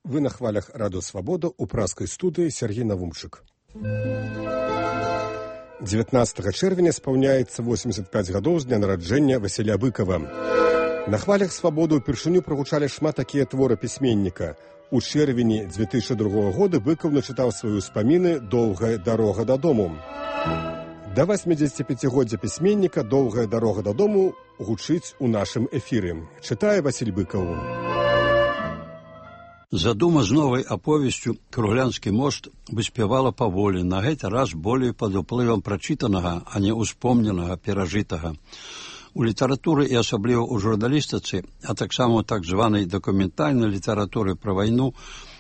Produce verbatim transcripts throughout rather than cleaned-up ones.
Вы на хвалях Радио Свобода у праскай студыі Сергей Навумчык. дзевятнаццатага чэрвеня спаўняецца восемьдесят пять гадоў з дня нараджэння Васіля Быкова. На хвалях Свабоды ўпершыню прагучалі шмат такія творы пісьменніка. У чэрвені две тысячи другога года Быкаў начытаў свае ўспаміны «Доўгая дарога дадому». Да восьмидзесятипяцігоддзя пісьменніка «Доўгая дарога дадому» гучыць у нашым эфіры. Чытае Васіль Быкаў. Задума з новай аповесцю «Круглянскі мост» выспявала паволі, на гэты раз болей пад уплывам прачытанага, а не успомненага, перажытага. У літаратуры і асабліва ў журналістыцы, а таксама ў так званай дакументальнай літаратуры пра вайну,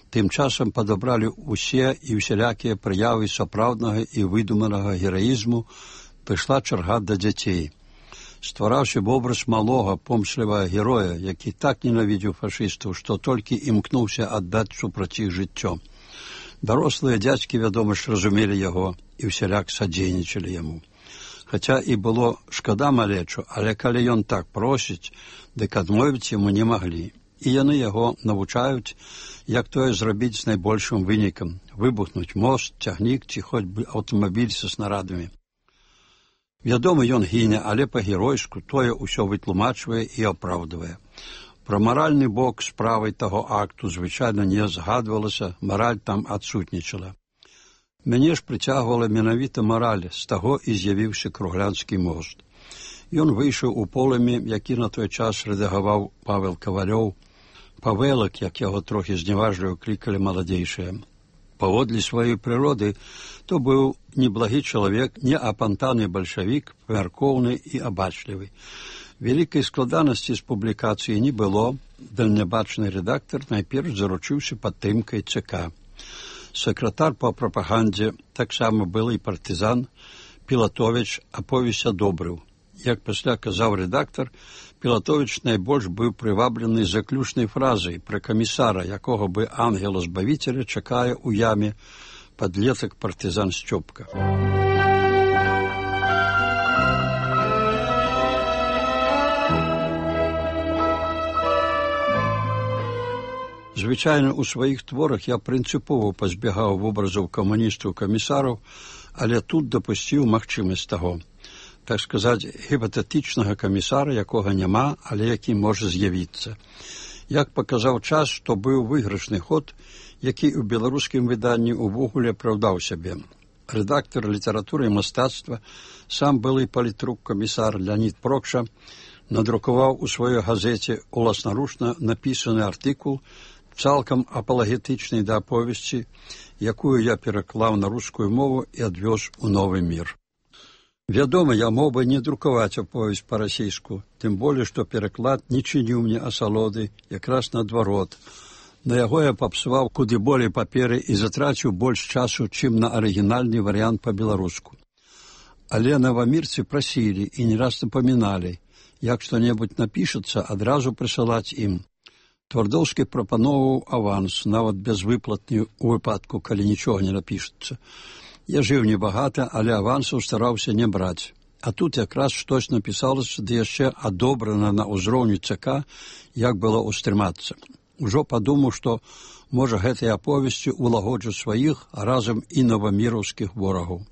тым часам падабралі ўсе і ўсялякія прыявы сапраўднага і выдуманага гераізму, прыйшла чарга да дзяцей. Ствараўся вобраз малога, помслівага героя, які так ненавідзеў фашыстаў, што толькі імкнуўся аддаць супраць іх жыццё. Дарослыя дзядзькі, вядома ж, разумелі яго і ўсяляк садзейнічалі яму. Хаця і было шкада малечу, але калі ён так просіць, дык адмовіць яму не маглі. І яны яго навучаюць, як тое зрабіць з найбольшым вынікам – выбухнуць мост, цягнік ці хоць бы аўтамабіль са снарадамі. Вядома, ён гіне, але па-геройску тое ўсё вытлумачвае і апраўдвае. Пра маральны бок справай таго акту звычайна не згадвалася, мараль там адсутнічала. Мяне ж прыцягвала менавіта мараль, з таго і з'явіўся Круглянскі мост. Ён выйшаў у полымі, які на той час рэдагаваў Павел Кавалёў, Павелак, як яго трохі зневажліва клікалі маладзейшыя. Паводле сваёй прыроды, то быў неблагі чалавек, не апантаны бальшавік, памяркоўны і абачлівы. Вялікай складанасці з публікацыі не было, дальнябачны рэдактар найперш заручыўся падтрымкай ЦК. Сакратар па прапагандзе, таксама былы партызан, Пілатовіч аповесць адобрыў. Як пасля казаў рэдактар, Пілатовіч найбольш быў прываблены заключнай фразай пра камісара, якога бы ангела-збавіцеля чакае ў яме падлетак партызан Сцёпка. Звычайна ў сваіх творах я прынцыпова пазбягаў вобразаў камуністаў-камісараў, але тут дапусціў магчымасць таго. Так сказаць, гіпатэтычнага камісара, якога няма, але які можа з'явіцца. Як паказаў час, што быў выйгрышны ход, які ў беларускім выданні ўвогуле апраўдаў сябе. Рэдактар літаратуры і мастацтва, сам былы палітрук камісар Леонід Прокша, надрукаваў у сваёй газеце уласнаручна напісаны артыкул, цалкам апалагетычны да аповесці, якую я пераклаў на рускую мову і адвёз у новы мір. Вядома, я мог бы не друкаваць аповесць па-расейску, тым болей, што пераклад не чыніў мне асалоды, якраз наадварот. На яго я папсуваў куды болей паперы і затраціў больш часу, чым на арыгінальны варыянт па-беларуску. Але навамірцы прасілі і не раз напаміналі, як што-небудзь напішацца, адразу прысылаць ім. Твардоўскі прапаноўваў аванс, нават безвыплатны ў выпадку, калі нічога не напішацца. Я жыў небагата, але авансаў стараўся не браць. А тут якраз штось напісалася, ды яшчэ адобрана на ўзроўні ЦК, як было ўстрымацца. Ужо падумаў, што, можа, гэтай аповесці улагоджу сваіх, а разам і новаміраўскіх ворагаў.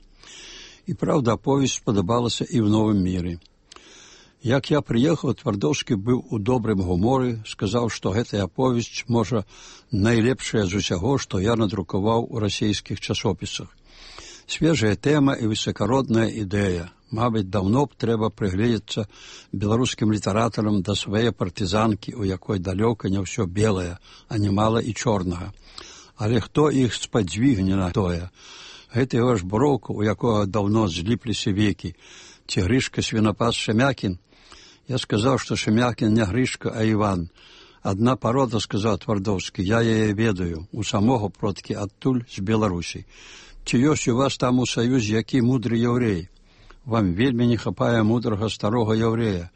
І, праўда, аповесць спадабалася і ў новым міры. Як я прыехаў, Твардоўскі быў у добрым гуморы, сказаў, што гэтая аповесць, можа, найлепшая з усяго, што я надрукаваў у расійскіх часопісах. Свежая тэма і высакародная ідэя. Мабыць, даўно б трэба прыгледзецца беларускім літаратарам да свае партызанкі, у якой далёка не ўсё белае, а немала і чорнага. Але хто іх спадзвігне на тое? Гэта яго ж броўка, у якога даўно зліпліся векі. Ці Грышка Свінапас Шемякін? Я сказаў, што Шемякін не Грышка, а Іван. Адна парода, сказаў Твардоўскі, я яе ведаю, у самога продкі адтуль з Беларусі. Ці ёсць у вас там у Саюзе які мудры яўрей? Вам вельмі не хапае мудрага старога яўрэя.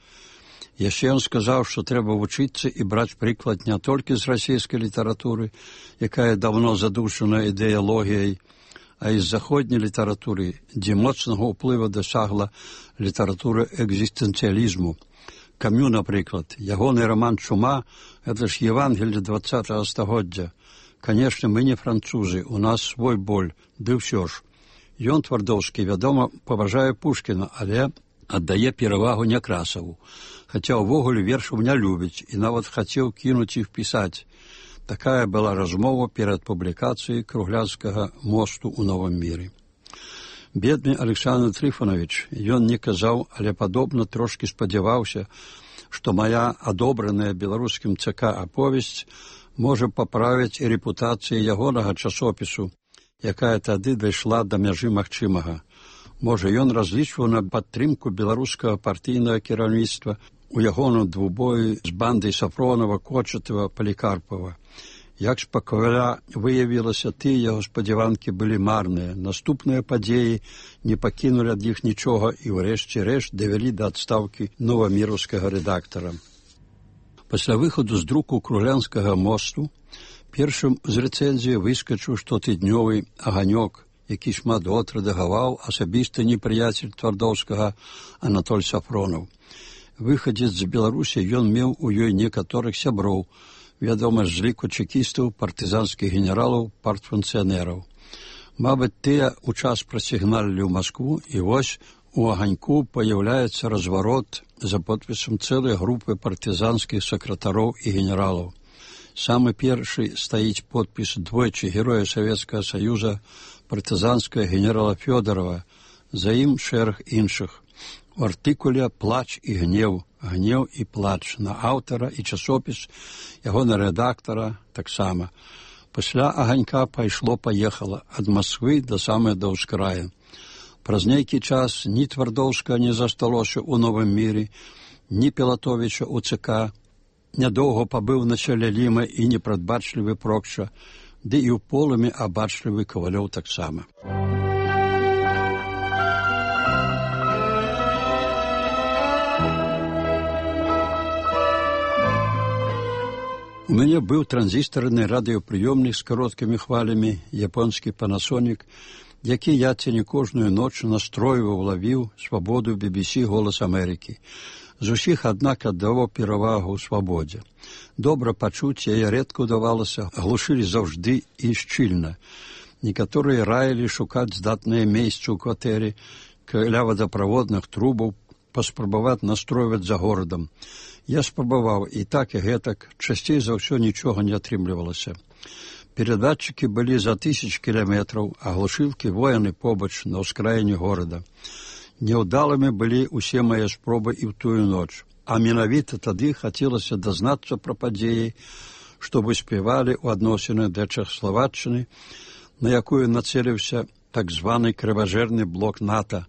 Яшчэ ён сказаў, што трэба вучыцца і браць прыклад не толькі з расійскай літаратуры, якая даўно задушана ідэалогіяй, а і з заходняй літаратуры, дзе моцнага ўплыва дасягла літаратура экзістэнцыялізму. Камю, напрыклад, ягоны раман «Чума» – гэта ж Евангелле дваццатага стагоддзя. Канешне, мы не французы, у нас свой боль, ды ўсё ж. Ён, Твардоўскі, вядома, паважае Пушкіна, але аддае перавагу Някрасаву, хаця ўвогуле вершаў не любіць і нават хацеў кінуць іх пісаць. Такая была размова перад публікацыяй Круглянскага мосту ў Новым міры. Бедны Александр Трифонович, ён не казаў, але падобна трошкі спадзяваўся, што мая адобраная беларускім ЦК аповесць можа паправіць і рэпутацыю ягонага часопісу, якая тады дайшла да мяжы магчымага. Можа, ён разлічваў на падтрымку беларускага партыйнага кіраўніцтва у ягоным двубоі з бандай Сафронова, Кочатава, Палікарпава. Як спакойна выявілася, тыя яго спадзяванкі былі марныя. Наступныя падзеі не пакінулі ад іх нічога і ўрэшце рэшт давялі да адстаўкі новаміраўскага рэдактара. Пасля выхаду з друку Круглянскага мосту першым з рэцэнзіі выскачыў штотыднёвы аганёк, які шмат год рэдагаваў асабісты непрыяцель Твардоўскага Анатоль Сафронаў. Выхадзец з Беларусі, ён меў у ёй некаторых сяброў, вядома, з ліку чекістаў, партызанскіх генералаў, партфункцыянераў. Мабыць, тыя ў час прасігналілі ў Маскву, і вось у аганьку паяўляецца разварот за подпісам цэлай групы партызанскіх сакратароў і генералаў. Самы першы стаіць подпіс двойчы героя Савецкага Саюза, партызанскага генерала Фёдорова, за ім шэраг іншых. У артыкуле «Плач і гнеў», «Гнеў і плач» на аўтара і часопіс, яго на рэдактара таксама. Пасля аганька пайшло-паехала ад Москвы да самай да ўскрая. Праз нейкі час ні Твардоўска не засталося ў Новым міры, ні Пілатовіча ў ЦК. Нядоўга пабыў на чале Ліма і непрадбачлівы Прокша, ды і ў полымі абачлівы Кавалёў таксама. У мяне быў транзістарны радыёпрыёмнік з кароткімі хвалямі, японскі Panasonic, які я ці не кожную ноч настройваў, лавіў свабоду би би сі «Голас Амерыкі». З усіх, аднак, аддаваў перавагу ў свабодзе. Добра пачуць яе рэдка ўдавалася, глушылі заўжды і шчыльна. Некаторыя раілі шукаць здатныя месцы ў кватэры, каля вадаправодных трубаў, паспрабаваць настройваць за горадам. Я спрабаваў і так і гэтак, часцей за ўсё нічога не атрымлівалася. Перадатчыкі былі за тысяч кіламетраў, а глушылкі вояны побач на ўскраіне горада. Няўдалымі былі ўсе мае спробы і ў тую ноч, а менавіта тады хацелася дазнацца пра падзеі, што выспявалі ў адносінах да Чэхаславаччыны, на якую нацэліўся так званы крыважэрны блок НАТО.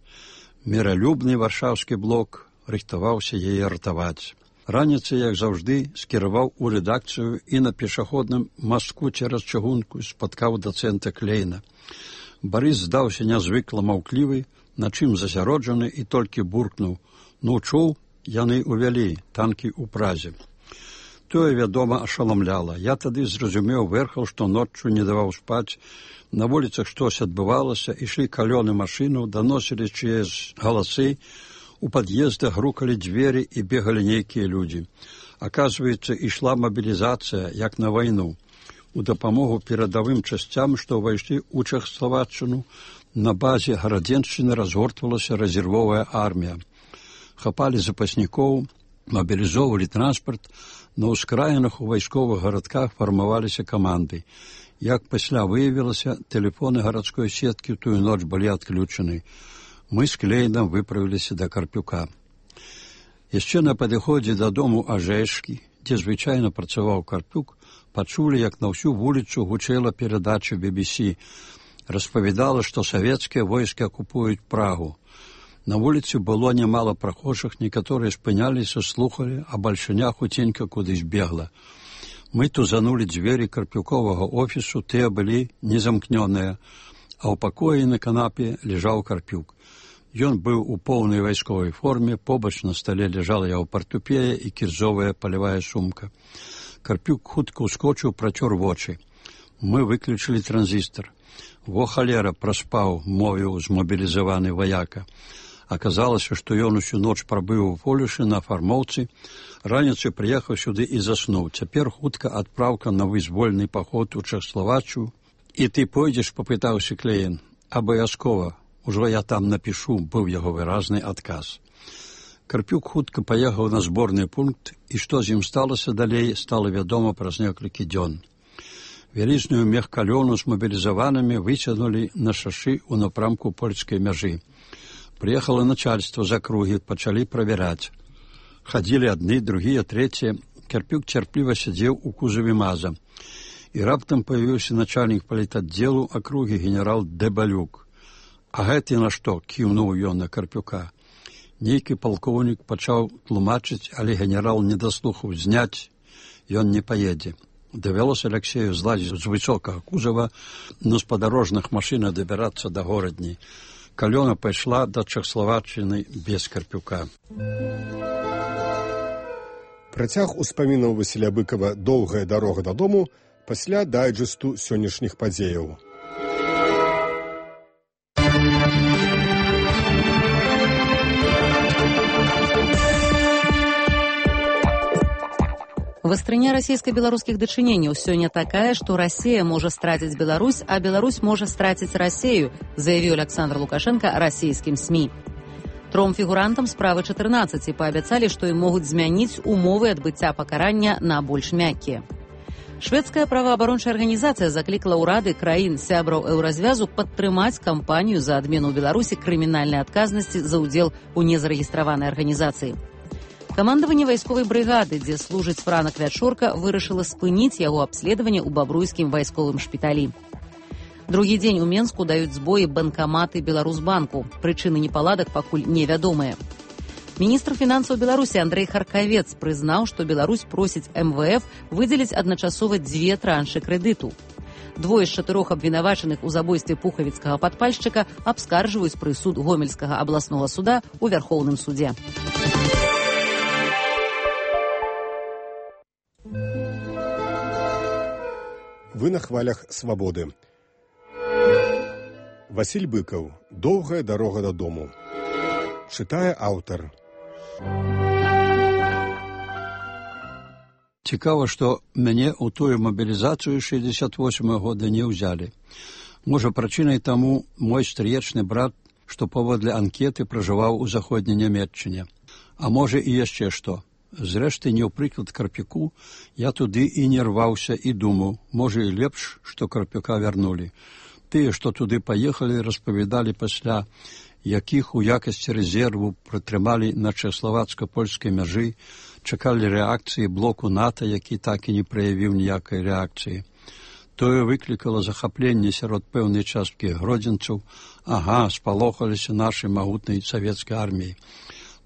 Міралюбны варшаўскі блок рыхтаваўся яе ратаваць. Раніцай, як заўжды, скіраваў у рэдакцыю і на пешаходным мастку цераз чыгунку спаткаў дацэнта Клейна. Барыс здаўся нязвыкла маўклівы, на чым засяроджаны і толькі буркнуў: «Ну, чуў, яны ўвялі танкі ў Празе». Тое, вядома, ашаламляла. Я тады зразумеў верхаў, што ноччу не даваў спаць. На вуліцах штось адбывалася, ішлі калёны машыну, даносілі чыясь галасы, у пад'ездах грукалі дзверы і бегалі нейкія людзі. Аказваецца, ішла мабілізацыя, як на вайну. У дапамогу перадавым часцям, што ўвайшлі ў Чэхаславаччыну, на базе Гарадзеншчыны разгортвалася рэзервовая армія. Хапалі запаснікоў, мабілізоўвалі транспарт, на ўскраінах у вайсковых гарадках фармаваліся каманды. Як пасля выявілася, тэлефоны гарадской сеткі ў тую ноч былі адключаны. Мы з Клейнам выправіліся да Карпюка. Яшчэ на падыходзе дадому Ажэшкі, дзе звычайна працаваў Карпюк, пачулі, як на ўсю вуліцу гучэла перадача би би сі. Распавядала, што савецкія войскі акупуюць Прагу. На вуліцы было нямала прахожых, некаторыя спыняліся, слухалі, а бальшыня хуценька кудысь бегла. Мы тузанулі дзверы Карпюковага офісу, тыя былі незамкнёныя, а ў пакоі на канапе ляжаў Карпюк. Ён быў у поўнай вайсковай форме, побач на стале ляжала яго партупея і кірзовая палявая сумка. Карпюк хутка ўскочыў, працёр вочы. Мы выключылі транзістар. «Во халера, праспаў», — мовіў змобілізаваны ваяка. Аказалася, што ён усю ноч прабыў у Полюшы на фармоўцы, раніцай прыехаў сюды і заснуў. Цяпер хутка адпраўка на вызвольны паход у Чэхаславаччыю. І ты пойдзеш, папытаўся Клейн. Абавязкова, ужо я там напішу, быў яго выразны адказ. Карпюк хутка паехаў на зборны пункт, і што з ім сталася далей, стала вядома праз некалькі дзён. Вялізную мехкалёну з мабілізаванымі выцягнулі на шашы ў напрамку польскай мяжы. Прыехала начальство з акругі, пачалі правяраць. Хадзілі адны, другія, трэція. Карпюк цярпліва сядзеў у кузаве маза. І раптам паявіўся начальнік палітаддзелу акругі генерал Дэбалюк. А гэты на што? Кіўнуў ён на Карпюка. Нейкі палкоўнік пачаў тлумачыць, але генерал не даслухаў. Зняць ён не паедзе. Давялося Аляксею злазіць з высокага кузава, на спадарожных машынах дабірацца да горадні. Калёна пайшла да Чэхаславаччыны без Карпюка. Працяг успамінаў Васіля Быкава «Доўгая дарога дадому» пасля дайджэсту сённяшніх падзеяў. Вастрыня расійска-беларускіх дачыненняў сёння такая, што Расія можа страціць Беларусь, а Беларусь можа страціць Расею, заявіў Александр Лукашенко расійскім СМІ. Тром фігурантам справы чатырнаццаць паабяцалі, што ім могуць змяніць умовы адбыцця пакарання на больш мяккія. Шведская праваабарончая арганізацыя заклікала ўрады краін сябраў еўразвязу падтрымаць кампанію за адмену ў Беларусі крымінальнай адказнасці за ўдзел у незарэгістраванай арганізацыі. Камандаванне вайсковай брыгады, дзе служыць Франак Вячорка, вырашыла спыніць яго абследаванне ў бабруйскім вайсковым шпіталі. Другі дзень у Менску даюць збоі банкаматы Беларусбанку. Прычыны непаладак пакуль невядомыя. Міністр фінансаў Беларусі Андрэй Харкавец прызнаў, што Беларусь просіць эм вэ эф выдзеліць адначасова дзве траншы крэдыту. Двое з чатырох абвінавачаных у забойстве пухавіцкага падпальшчыка абскарджваюць прысуд Гомельскага абласнога суда ў Вярхоўным судзе. Вы на хвалях свабоды. Васіль Быкаў. «Доўгая дарога дадому». Чытае аўтар. Цікава, што мяне ў тую мабілізацыю шэсцьдзесят восьмага года не ўзялі. Можа, прычынай таму мой стрыечны брат, што паводле анкеты пражываў у заходняй Нямецчыне. А можа і яшчэ што. Зрэшты, не ў прыклад Карпюку, я туды і не рваўся і думаў, можа і лепш, што Карпюка вярнулі. Тыя, што туды паехалі, распавядалі пасля, якіх у якасці рэзерву прытрымалі на чэхаславацка-польскай мяжы, чакалі рэакцыі блоку НАТО, які так і не праявіў ніякай рэакцыі. Тое выклікала захапленне сярод пэўнай часткі гродзенцаў. Ага, спалохаліся нашай магутнай савецкай арміі.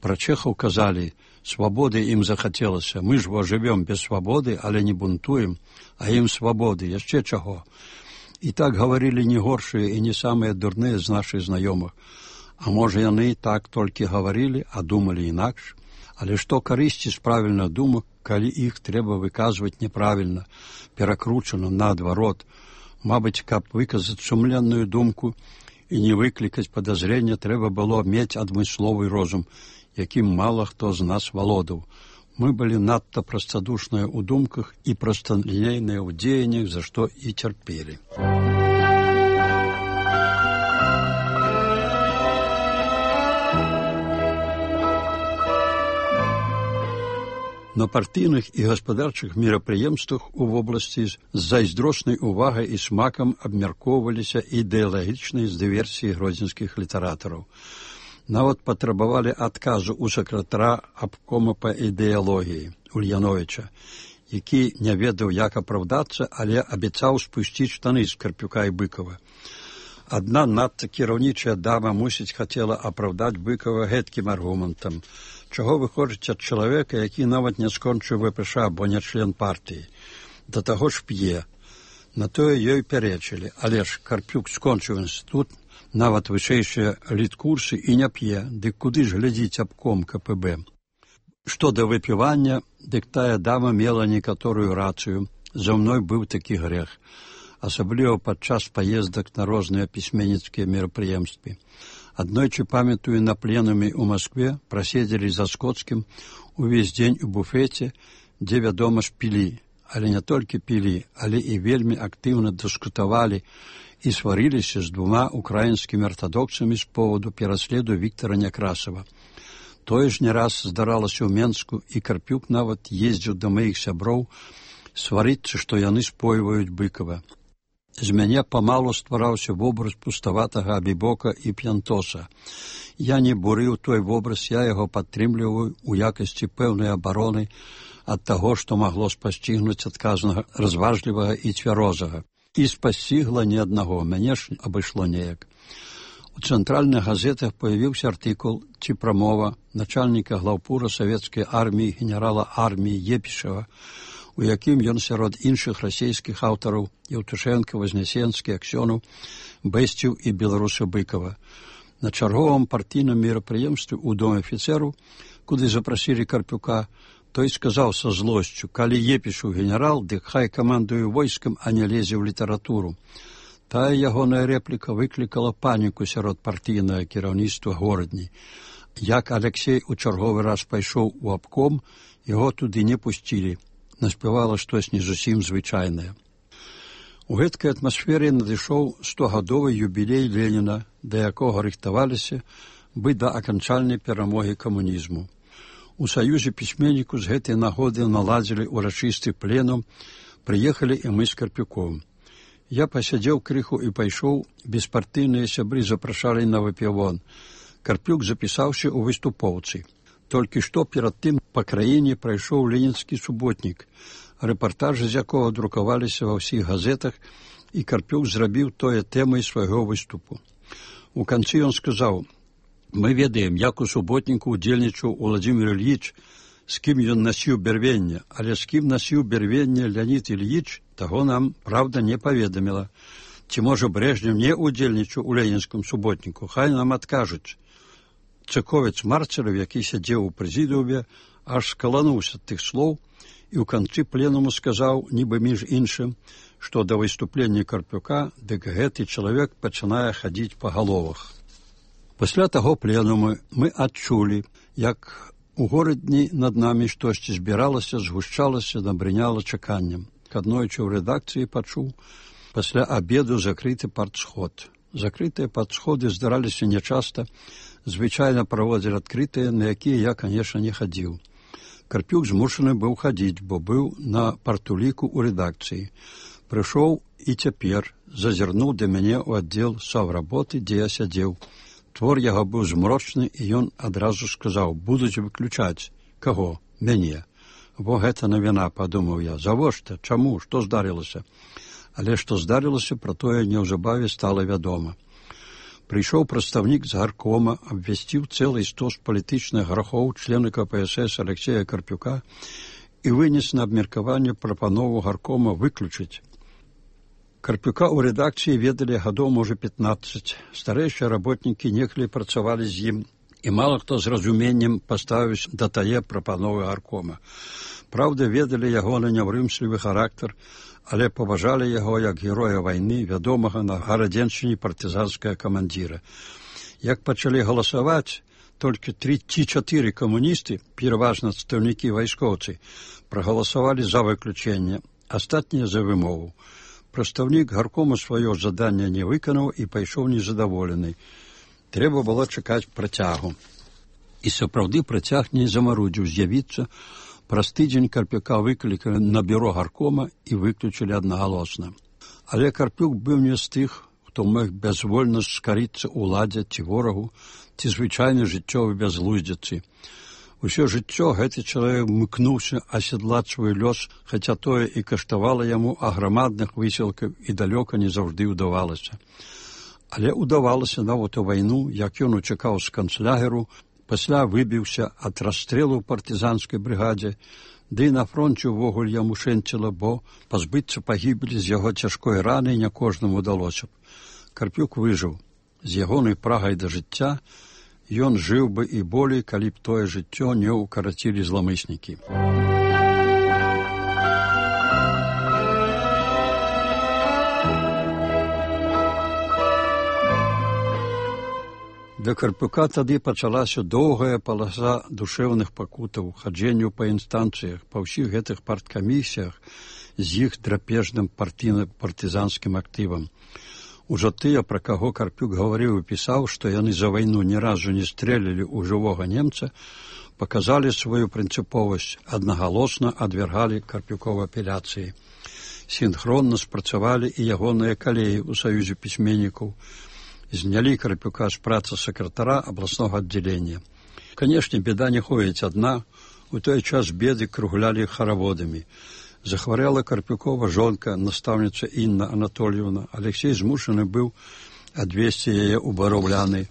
Пра чэхаў казалі, свабоды ім захацелася. Мы ж во жывём без свабоды, але не бунтуем, а ім свабоды, яшчэ чаго. І так гаварылі не горшыя і не самыя дурныя з нашых знаёмых. А можа, яны так толькі гаварылі, а думалі інакш. Але што карысці з правільных думак, калі іх трэба выказваць неправільна, перакручана наадварот. Мабыць, каб выказаць сумленную думку і не выклікаць падазрення, трэба было мець адмысловы розум, якім мала хто з нас валодаў. Мы былі надта прастадушныя ў думках і прасталінейныя ў дзеяннях, за што і цярпелі. На партыйных і гаспадарчых мерапрыемствах у вобласці з зайздроснай увагай і смакам абмяркоўваліся ідэалагічныя з дыверсіі гродзенскіх літаратараў. Нават патрабавалі адказу ў сакратара абкома па ідэалогіі Ульяновіча, які не ведаў, як апраўдацца, але абяцаў спусціць штаны з Карпюка і Быкава. Адна надта кіраўнічая дама, мусіць, хацела апраўдаць Быкава гэткім аргументам. Чаго вы хочаце ад чалавека, які нават не скончыў вэ пэ ша, бо не член партыі? Да таго ж п'е. На тое ёй пярэчылі, але ж Карпюк скончыў інстытут, нават вышэйшыя літкурсы і не п'е, дык куды ж глядзіць абком ка пэ бэ? Што да выпівання, дык тая дама мела некаторую рацыю. За мной быў такі грэх, асабліва падчас паездак на розныя пісьменніцкія мерапрыемствы. Аднойчы, памятаю, на пленуме ў Маскве праседзелі за Скотскім увесь дзень у буфеце, дзе, вядома ж, пілі. Але не толькі пілі, але і вельмі актыўна дыскутавалі і сварыліся з двума украінскімі артадоксамі з поводу пераследу Віктара Някрасава. Тое ж не раз здаралася ў Менску, і Карпюк нават ездзіў да маіх сяброў сварыцца, што яны спойваюць Быкава. З мяне памалу ствараўся вобраз пуставатага абібока і п'янтоса. Я не бурыў той вобраз, я яго падтрымліваю ў якасці пэўнай абароны ад таго, што магло спасцігнуць адказнага, разважлівага і цвярозага. І спасцігла не аднаго, мяне ж абышло неяк. У цэнтральных газетах появіўся артыкул ці прамова начальніка глаўпура савецкай арміі генерала арміі Епішева, у якім ён сярод іншых расійскіх аўтараў Еўтушэнка, Вознесенскі, Аксёнаў бэсціў і беларуса Быкава. На чарговым партійным мерапрыемстве ў доме афіцэру, куды запрасілі Карпюка, той сказаў са злосцю: калі Епішу генерал, дык хай камандуе войскам, а не лезе ў літаратуру. Тая ягоная рэпліка выклікала паніку сярод партійнага кіраўніцтва горадні. Як Алексей у чарговы раз пайшоў у абком, яго туды не пусцілі. Наспявала штось не зусім звычайнае. У гэткай атмасферы надышоў стогадовы юбілей Леніна, да якога рыхтаваліся бы да аканчальнай перамогі камунізму. У Саюзе пісьменніку з гэтай нагоды наладзілі урачысты пленум, прыехалі і мы з Карпюком. Я пасядзеў крыху і пайшоў, беспартыйныя сябры запрашалі на выпівон. Карпюк запісаўся ў выступоўцы. Толькі што перад тым па краіне прайшоў ленінскі суботнік, рэпартажы з якога друкаваліся ва ўсіх газетах, і Карпюк зрабіў тое тэмай свайго выступу. У канцы ён сказаў: мы ведаем, як у суботніку удзельнічаў Уладзімір Ільіч, з кім ён насіў бярвенне, але з кім насіў бярвенне Леонід Ільіч, таго нам, правда, не паведаміла. Ці, можа, Брэжнев не удзельнічаў у ленінскім суботніку, хай нам адкажуць. Цыковец Марцелев, які сядзеў у прэзідыуме, аж скалануўся ад тых слоў і ў канцы пленуму сказаў, нібы між іншым, што да выступлення Карпюка, дык гэты чалавек пачынае хадзіць па галовах. Пасля таго пленуму мы адчулі, як у горадні над намі штосьці збіралася, згушчалася, набрыняла чаканнем. Аднойчы ў рэдакцыі пачуў, пасля абеду закрыты партсход. Закрытыя партсходы здараліся нячаста, звычайна праводзілі адкрытыя, на якія я, канешне, не хадзіў. Карпюк змушаны быў хадзіць, бо быў на партуліку ў рэдакцыі. Прыйшоў і цяпер зазірнуў да мяне ў аддзел саўработы, дзе я сядзеў. Твор яго быў змрочны, і ён адразу сказаў: будуць выключаць. Каго? Мяне. Во гэта навіна, падумаў я. Завошта? Чаму? Што здарылася? Але што здарылася, пра тое неўзабаве стала вядома. Прыйшоў прадстаўнік з гаркома, абвясціў цэлы стос палітычных грахоў члена ка пэ эс эс Алексея Карпюка і вынес на абмеркаванне прапанову гаркома выключыць. Карпюка ў рэдакцыі ведалі гадоў, можа, пятнаццаць. Старэйшыя работнікі некалі працавалі з ім, і мала хто з разуменнем паставіўся да тае прапановы гаркома. Праўда, ведалі ягоны няўрымслівы характар, але паважалі яго як героя вайны, вядомага на гарадзеншчыне партызанскага камандзіра. Як пачалі галасаваць, толькі тры ці чатыры камуністы, пераважна адстаўнікі вайскоўцы, прагаласавалі за выключэнне, астатнія за вымову. Прадстаўнік гаркому сваё жаданне не выканаў і пайшоў незадаволены. Трэба было чакаць працягу. І сапраўды працяг не замарудзіў з'явіцца. Праз тыдзень Карпюка выклікалі на бюро гаркома і выключылі аднагалосна. Але Карпюк быў не з тых, хто мог бязвольна скарыцца ўладзе ці ворагу, ці звычайнай жыццёвай бязглуздзіцы. Усё жыццё гэты чалавек мыкнуўся асядлаць свой лёс, хаця тое і каштавала яму аграмадных высілкаў і далёка не заўжды ўдавалася. Але ўдавалася нават у вайну, як ён учакаў з канцлягеру, пасля выбіўся ад расстрэлу ў партызанскай брыгадзе, ды і на фронце ўвогуле яму шэнціла, бо пазбыцца пагібелі з яго цяжкой раны не кожнаму ўдалося б. Карпюк выжыў. З ягонай прагай да жыцця ён жыў бы і болей, калі б тое жыццё не ўкарацілі зламыснікі. Да Карпюка тады пачалася доўгая паласа душэўных пакутаў, хаджэнняў па інстанцыях, па ўсіх гэтых парткамісіях з іх драпежным партыйна-партызанскім актывам. Ужо тыя, пра каго Карпюк гаварыў і пісаў, што яны за вайну ні разу не стрэлілі ў жывога немца, паказалі сваю прынцыповасць, аднагалосна адвяргалі Карпюкова апеляцыі. Сінхронна спрацавалі і ягоныя калегі ў Саюзе пісьменнікаў, знялі Карпюка з працы сакратара абласнога аддзялення. Канешне, беда не ходзіць адна, у той час беды круглялі хараводамі. Захварэла Карпюкова жонка, настаўніца Інна Анатольевна. Алексей змушаны быў адвезці яе ў Бараўляны.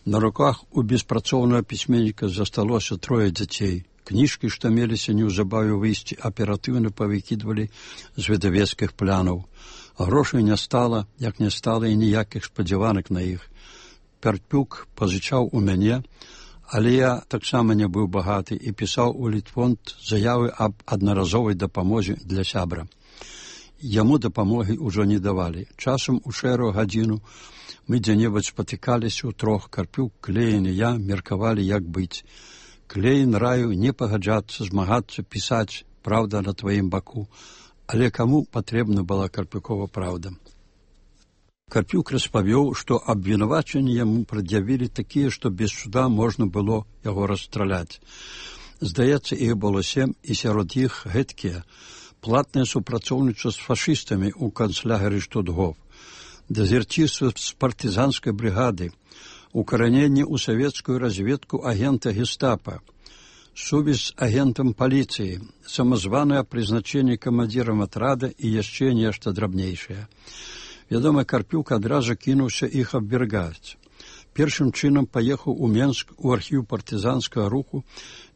На руках у беспрацоўнага пісьменніка засталося трое дзяцей. Кніжкі, што меліся неўзабаве выйсці, аператыўна павыкідвалі з выдавецкіх плянаў. Грошай не стала, як не стала і ніякіх спадзяванак на іх. Карпюк пазычаў у мяне, але я таксама не быў багаты і пісаў у Літфонд заявы аб аднаразовай дапамозе для сябра. Яму дапамогі ўжо не давалі. Часам у шэрую гадзіну мы дзе-небудзь спатыкаліся ў трох. Карпюк, Клейн і я меркавалі, як быць. Клейн раю не пагаджацца, змагацца, пісаць, праўда на тваім баку. Але каму патрэбна была Карпюкова праўда? Карпюк распавёў, што абвінавачанні яму прад'явілі такія, што без суда можна было яго расстраляць. Здаецца, іх было сем, і сярод іх гэткія. Платнае супрацоўніцтва з фашыстамі ў канцлягеры Штутгоф, дезерцірства з партызанскай брыгады, укараненне ў савецкую разведку агента гестапа, сувязь з агентам паліцыі, самазванае прызначэнне камандзірам атрада і яшчэ нешта драбнейшае. Вядома, Карпюк адразу кінуўся іх абвяргаць. Першым чынам паехаў у Менск у архіў партызанскага руху,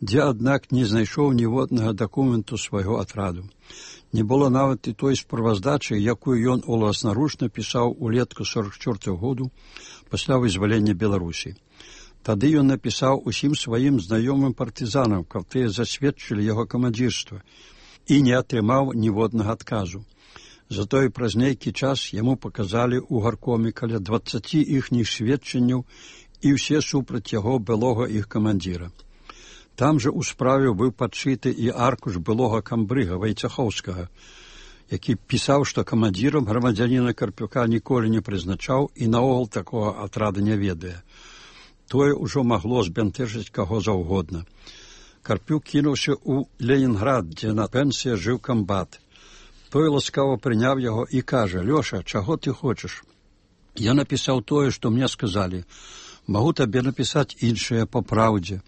дзе, аднак, не знайшоў ніводнага дакументу свайго атраду. Не было нават і той справаздачы, якую ён уласнаручна пісаў улетку сорок чвёртага году пасля вызвалення Беларусі. Тады ён напісаў усім сваім знаёмым партызанам, каб тыя засведчылі яго камандзірства, і не атрымаў ніводнага адказу. Затое праз нейкі час яму паказалі ў гаркоме каля дваццаці іхніх сведчанняў і ўсе супраць яго былога іх камандзіра. Там жа ў справе быў падшыты і аркуш былога камбрыга Вайцахоўскага, які пісаў, што камандзірам грамадзяніна Карпюка ніколі не прызначаў і наогул такога атрада не ведае. Тое ўжо магло збянтэжыць каго заўгодна. Карпюк кінуўся ў Ленінград, дзе на пенсіі жыў камбат. Той ласкава прыняў яго і кажа: «Лёша, чаго ты хочаш? Я напісаў тое, што мне сказалі. Магу табе напісаць іншае па праўдзе».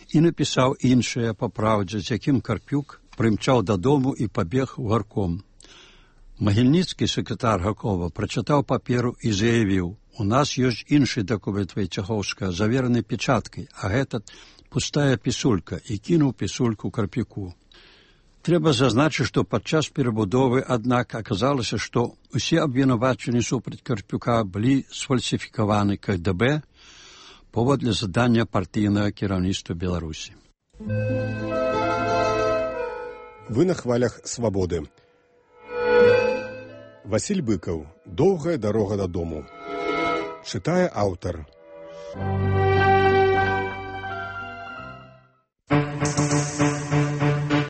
І напісаў іншае па праўдзе, з якім Карпюк прымчаў дадому і пабег у гарком. Магільніцкі, сакратар гаркома, прачытаў паперу і заявіў: «У нас ёсць іншы дакумент Вайцахоўскага, завераны печаткай, а гэта пустая пісулька», і кінуў пісульку Карпюку. Трэба зазначыць, што падчас перабудовы, аднак, аказалася, што ўсе абвінавачанні супраць Карпюка былі сфальсіфікаваны ка гэ бэ паводле задання партыйнага кіраўніцтва Беларусі. Вы на хвалях свабоды. Васіль Быкаў. Доўгая дарога дадому. Чытае аўтар.